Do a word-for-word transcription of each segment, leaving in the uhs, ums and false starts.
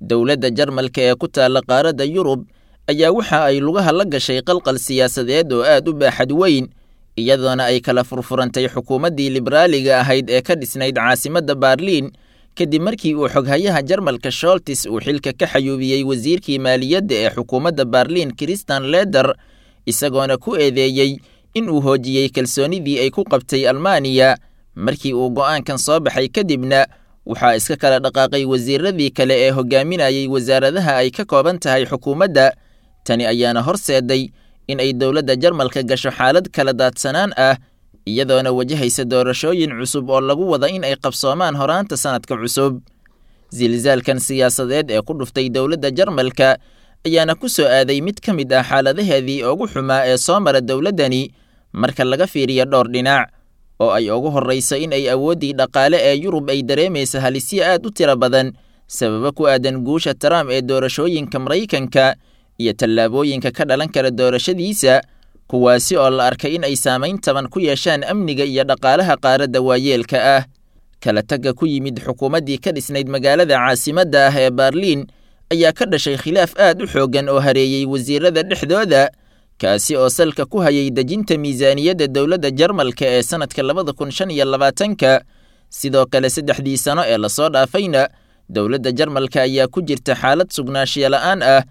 Dowladda Jarmalka ee ku taalla qaaradda Yurub ayaa waxa ay lugaha la gashay qalqal siyaasadeed oo aad u baaxad weyn, iyadoona ay kala furfurantay xukuumaddii liberaaliga ahayd ee ka dhisnayd caasimadda Baarliin kadib markii uu xoghayaha Jarmalka Scholz uu xilka ka xayuubiyey wasiirkii maaliyadda ee xukuumadda Baarliin Christian Leder, isagoona ku eedeeyey in uu hoojiyey kalsoonidii ay ku qabtay Almaaniya. Markii uu go'aankan soo baxay kadibna waxaa iska kala dhaqaaqay wasiiradii kale ee hogaaminayay wasaaradaha ay ka kooban tahay xukuumadda. Tani ayaana horseeday in ay dowladda Jarmalka gasho xaalad kala daadsanaan ah, iyadoona wajahaysa doorashooyin cusub oo lagu wada in ay qabsoomaan horaanta sanadka cusub. Zilzaalkan siyaasadeed ee ku dhuftay dowladda Jarmalka ayaana ku soo aaday mid ka mid ah xaaladaheedii ugu xumaa ee soo mara dowladdani marka laga fiiriyo dhowr dhinac, oo ay ugu horrayso in ay awooddii dhaqaale ee Yurub ay dareemaysa halisyo aad u tiro badan sababo ku aadan guusha Trump ee doorashooyinka Maraykanka iyo tallaabooyinka ka dhalan kara doorashadiisa, kuwaasi oo la arkay in ay saamayn taban ku yeeshaan amniga iyo dhaqaalaha qaaradda waayeelka ah. Kala tagga ku yimid xukuumaddii ka dhisnayd magaalada caasimadda ah ee Baarliin ayaa ka dhashay khilaaf aad u xooggan oo hareeyey wasiirada dhexdooda, kaasi oo salka ku hayay dejinta miisaaniyadda dowladda Jarmalka ee sanadka labada kun shan iyo labaatanka. Sidoo kale saddexdii sano ee lasoo dhaafayna dowladda Jarmalka ayaa ku jirta xaalad sugnaanshiyo la'aan ah,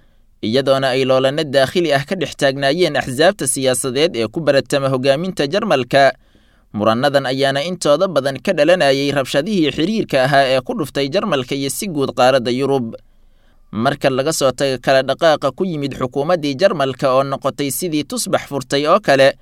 iyadoona ay loolano daakhili ah ka dhex taagnaayeen axsaabta siyaasadeed ee ku baratama hogaaminta Jarmalka. Murannadan ayaana intooda badan ka dhalanayay rabshadihii xiriirka ahaa ee ku dhuftay Jarmalka iyo si guud qaaradda Yurub. Marka laga soo tago kala dhaqaaqa ku yimid xukuumaddii Jarmalka oo noqotay sidii tusbax furtay oo kale,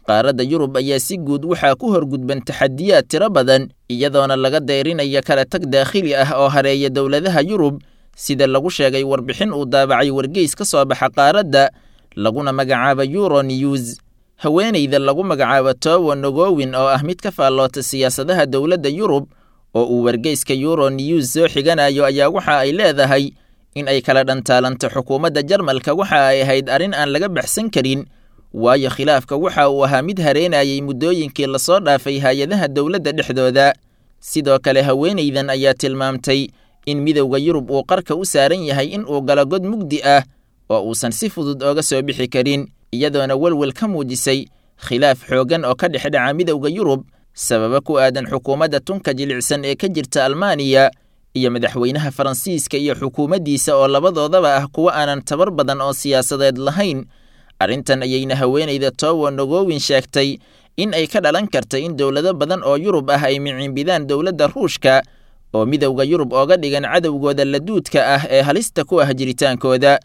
qaaradda Yurub ayaa si guud waxaa ku horgudban taxadiyaad tiro badan, iyadoona laga dayrinayo kala tag daakhili ah oo hareeya dowladaha Yurub, sida lagu sheegay warbixin uu daabacay wargeys ka soo baxa qaaradda laguna magacaabo Euronews. Haweeneyda lagu magacaabo Towo Nogowin oo ah mid ka faalloota siyaasadaha dowladda Yurub oo uu wargeyska Euronews soo xiganayo ayaa waxa ay leedahay in ay kala dhantaalanto xukuumadda Jarmalka waxa ay ahayd arrin aan laga baxsan karin, waayo khilaafka waxa uu ahaa mid hareenayay muddooyinkii lasoo dhaafay hay-adaha dowladda dhexdooda. Sidoo kale haweeneydan ayaa tilmaamtay in midowda Yurub uu qarka u saaran yahay in uu galo god mugdi ah oo uusan si fudud ooga soo bixi karin, iyadoona welwel ka muujisay khilaaf xooggan oo ka dhex dhaca midowda Yurub sababo ku aadan xukuumadda tunka jilicsan ee ka jirta Almaaniya iyo madaxweynaha Faransiiska iyo xukuumaddiisa oo labadoodaba ah kuwo aanan tabar badan oo siyaasadeed lahayn. Arrintan ayayna haweeneyda Towo Nogowin sheegtay in ay ka dhalan karta in dowlado badan oo Yurub ah ay miciinbidaan dowladda Ruushka oo midowda Yurub ooga dhigan cadowgooda laduudka ah ee halista ku ah jiritaankooda.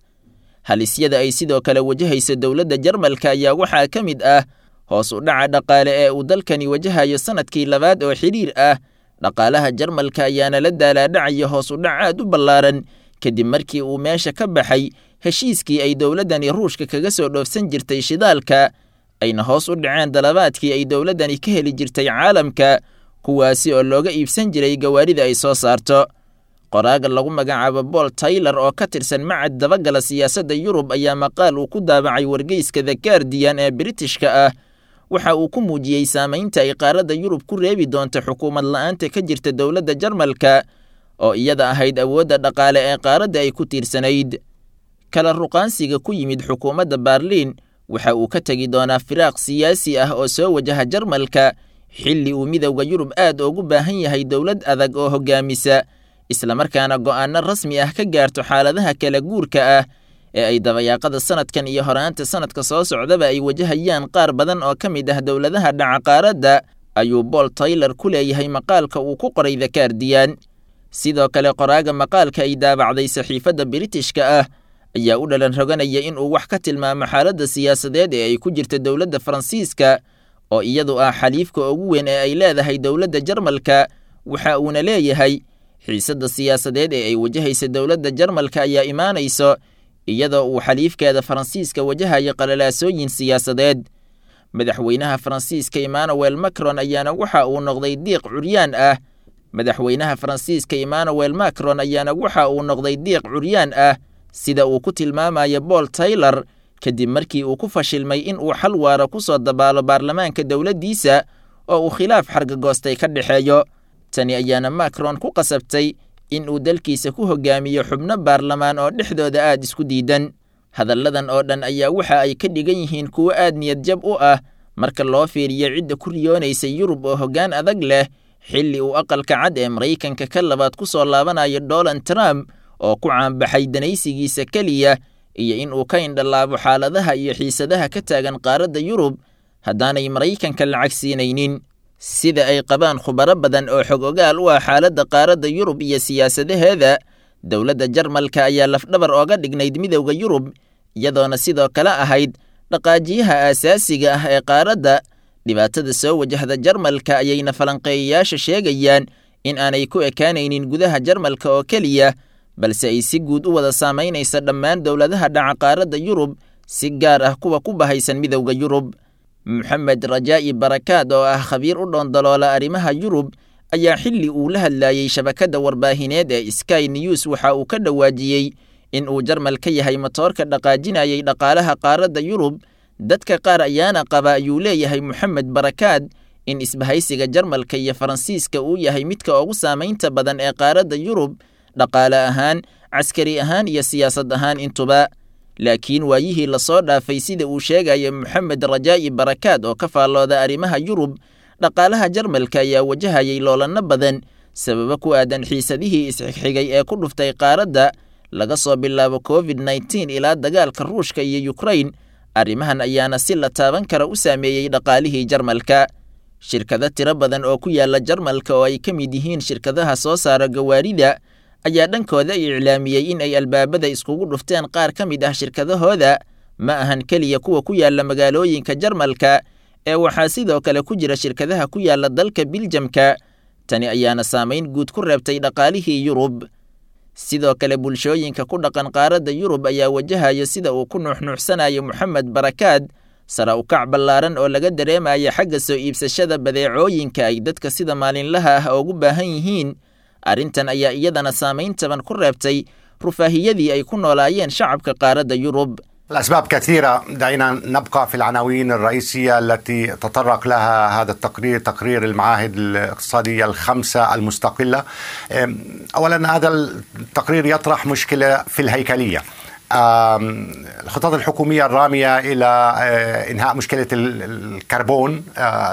Halisyada ay sidoo kale wajahaysa dowladda Jarmalka ayaa waxaa ka mid ah hoos u dhaca dhaqaale ee uu dalkani wajahayo sanadkii labaad oo xiriir ah. Dhaqaalaha Jarmalka ayaana la daalaadhacaya hoos u dhac aad u ballaaran kadib markii uu meesha ka baxay heshiiskii ay dowladdani Ruushka kaga soo dhoofsan jirtay shidaalka, ayna hoos u dhaceen dalabaadkii ay dowladdani ka heli jirtay caalamka, kuwaasi oo looga iibsan jiray gawaarida ay soo saarto. Qoraaga lagu magacaabo Paul Taylor oo ka tirsan macad dabagala siyaasadda Yurub ayaa maqaal uu ku daabacay wargeyska The Guardian ee Britishka ah waxa uu ku muujiyey saamaynta ay qaaradda Yurub ku reebi doonto xukuumad la'aanta ka jirta dowladda Jarmalka oo iyada ahayd awoodda dhaqaale ee qaaradda ay ku tiirsanayd. Kala ruqaansiga ku yimid xukuumadda Baarliin waxa uu ka tegi doonaa firaaq siyaasi ah oo soo wajaha Jarmalka xilli uu midowda Yurub aad ugu baahan yahay dowlad adag oo hoggaamisa, islamarkaana go'aano rasmi ah ka gaarto xaaladaha kala guurka ah ee ay dabayaaqada sanadkan iyo horaanta sanadka soo socdaba ay wajahayaan qaar badan oo ka mid ah dowladaha dhaca qaaradda, ayuu Paul Taylor ku leeyahay maqaalka uu ku qoray The Guardian. Sidoo kale qoraaga maqaalka ay daabacday saxiifadda Britishka ah ayaa u dhalan roganaya in uu wax ka tilmaamo xaaladda siyaasadeed ee ay ku jirta dowladda Faransiiska oo iyadu ah xaliifka ugu weyn ee ay leedahay dowladda Jarmalka. Waxa uuna leeyahay xiisadda siyaasadeed ee ay wajahaysa dowladda Jarmalka ayaa imaanayso iyadoo uu xaliifkeeda Faransiiska wajahayo qalalaasooyin siyaasadeed. Madaxweynaha Faransiiska Emmanuel Macron ayaana waxa uu noqday diiq curyaan ah. Madaxweynaha Faransiiska Emmanuel Macron ayaana waxa uu noqday diiq curyaan ah, sida uu ku tilmaamayo Paul Taylor, kadib markii uu ku fashilmay in uu xal waara ku soo dabaalo baarlamaanka dowladdiisa oo uu khilaaf xargagoostay ka dhexeeyo. Tani ayaana Macron ku qasabtay in uu dalkiisa ku hogaamiyo xubno baarlamaan oo dhexdooda aad isku diidan. Hadalladan oo dhan ayaa waxa ay ka dhigan yihiin kuwo aad niyadjab u ah marka loo fiiriyo cidda ku riyoonaysa Yurub oo hoggaan adag leh, xilli uu aqalka cad ee Maraykanka ka labaad ku soo laabanayo Donald Trump oo ku caanbaxay danaysigiisa keliya iyo in uu ka indhalaabo xaaladaha iyo xiisadaha ka taagan qaaradda Yurub haddaanay Maraykanka lacag siinaynin. Sida ay qabaan khubaro badan oo xog ogaal u ah xaaladda qaaradda Yurub iyo siyaasadaheeda, dowladda Jarmalka ayaa lafdhabar ooga dhignayd midowda Yurub, iyadoona sidoo kale ahayd dhaqaajiyaha aasaasiga ah ee qaaradda. Dhibaatada soo wajahda Jarmalka ayayna falanqeeyayaasha sheegayaan in aanay ku ekaanaynin gudaha Jarmalka oo keliya, balse ay si guud u wada saamaynaysa dhammaan dowladaha dhaca qaaradda Yurub, si gaar ah kuwa ku bahaysan midowda Yurub. Moxamed Rajaa'i Barakaad oo ah khabiir u dhoondaloola arrimaha Yurub ayaa xilli uu la hadlayey shabakadda warbaahineed ee Sky News waxa uu ka dhawaajiyey in uu Jarmal ka yahay matoorka dhaqaajinayay dhaqaalaha qaaradda Yurub. Dadka qaar ayaana qaba, ayuu leeyahay Moxamed Barakaad, in isbahaysiga Jarmalka iyo Faransiiska uu yahay midka ugu saamaynta badan ee qaaradda Yurub, dhaqaale ahaan, caskari ahaan iyo siyaasad ahaan intuba. Laakiin waayihii lasoo dhaafay, sida uu sheegaya Moxamed Rajaa'i Barakaad oo ka faallooda arrimaha Yurub, dhaqaalaha Jarmalka ayaa wajahayay loolanno badan sababo ku aadan xiisadihii isxigxigay ee ku dhuftay qaaradda laga soo bilaabo covid nineteen ilaa dagaalka Ruushka iyo Ukraine. Arrimahan ayaana si la taaban kara u saameeyey dhaqaalihii Jarmalka. Shirkado tiro badan oo ku yaala Jarmalka oo ay ka mid yihiin shirkadaha soo saara gawaarida ayaa dhankooda iclaamiyey in ay albaabada iskugu dhufteen qaar ka mid ah shirkadahooda. Ma ahan keliya kuwa ku yaala magaalooyinka Jarmalka ee waxaa sidoo kale ku jira shirkadaha ku yaala dalka Biljamka. Tani ayaana saamayn guud ku reebtay dhaqaalihii Yurub. Sidoo kale bulshooyinka ku dhaqan qaaradda Yurub ayaa wajahaya, sida uu ku nuuxnuuxsanayo Moxamed Barakaad, sare u kac ballaaran oo laga dareemaya xagga soo iibsashada badeecooyinka ay dadka sida maalinlaha ah ugu baahan yihiin. Arrintan ayaa iyadana saamayn taban ku reebtay rufaahiyadii ay ku noolaayeen shacabka qaaradda Yurub. الأسباب كثيرة، دعينا نبقى في العناوين الرئيسية التي تطرق لها هذا التقرير، تقرير المعاهد الاقتصادية الخمسة المستقلة. أولا، هذا التقرير يطرح مشكلة في الهيكلية، الخطط الحكومية الرامية إلى إنهاء مشكلة الكربون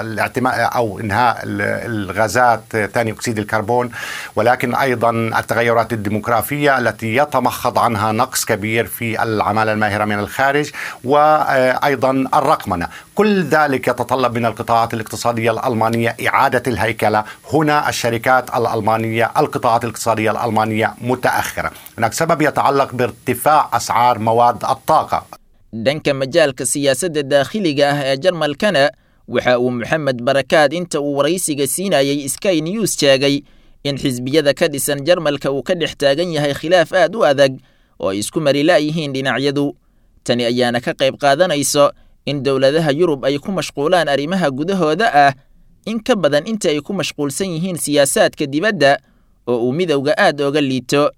الاعتماء أو إنهاء الغازات ثاني أكسيد الكربون، ولكن أيضا التغيرات الديموغرافية التي يتمخض عنها نقص كبير في العمالة الماهرة من الخارج، وأيضا الرقمنة. كل ذلك يتطلب من القطاعات الاقتصادية الألمانية إعادة الهيكلة. هنا الشركات الألمانية، القطاعات الاقتصادية الألمانية متأخرة. هناك سبب يتعلق بارتفاع أسعار مواد الطاقة. Dhanka majaalka siyaasadda daakhiliga ah ee Jarmalkana, waxa uu Moxamed Barakaad inta uu waraysiga siinayey Sky News sheegay in xisbiyada ka dhisan Jarmalka uu ka dhex taagan yahay khilaaf aad u adag oo ay isku mari la'yihiin dhinacyadu. Tani ayaana ka qayb qaadanayso in dowladaha Yurub ay ku mashquulaan arrimaha gudahooda ah in ka badan inta ay ku mashquulsan yihiin siyaasaadka dibadda oo uu midowga aad ooga liito.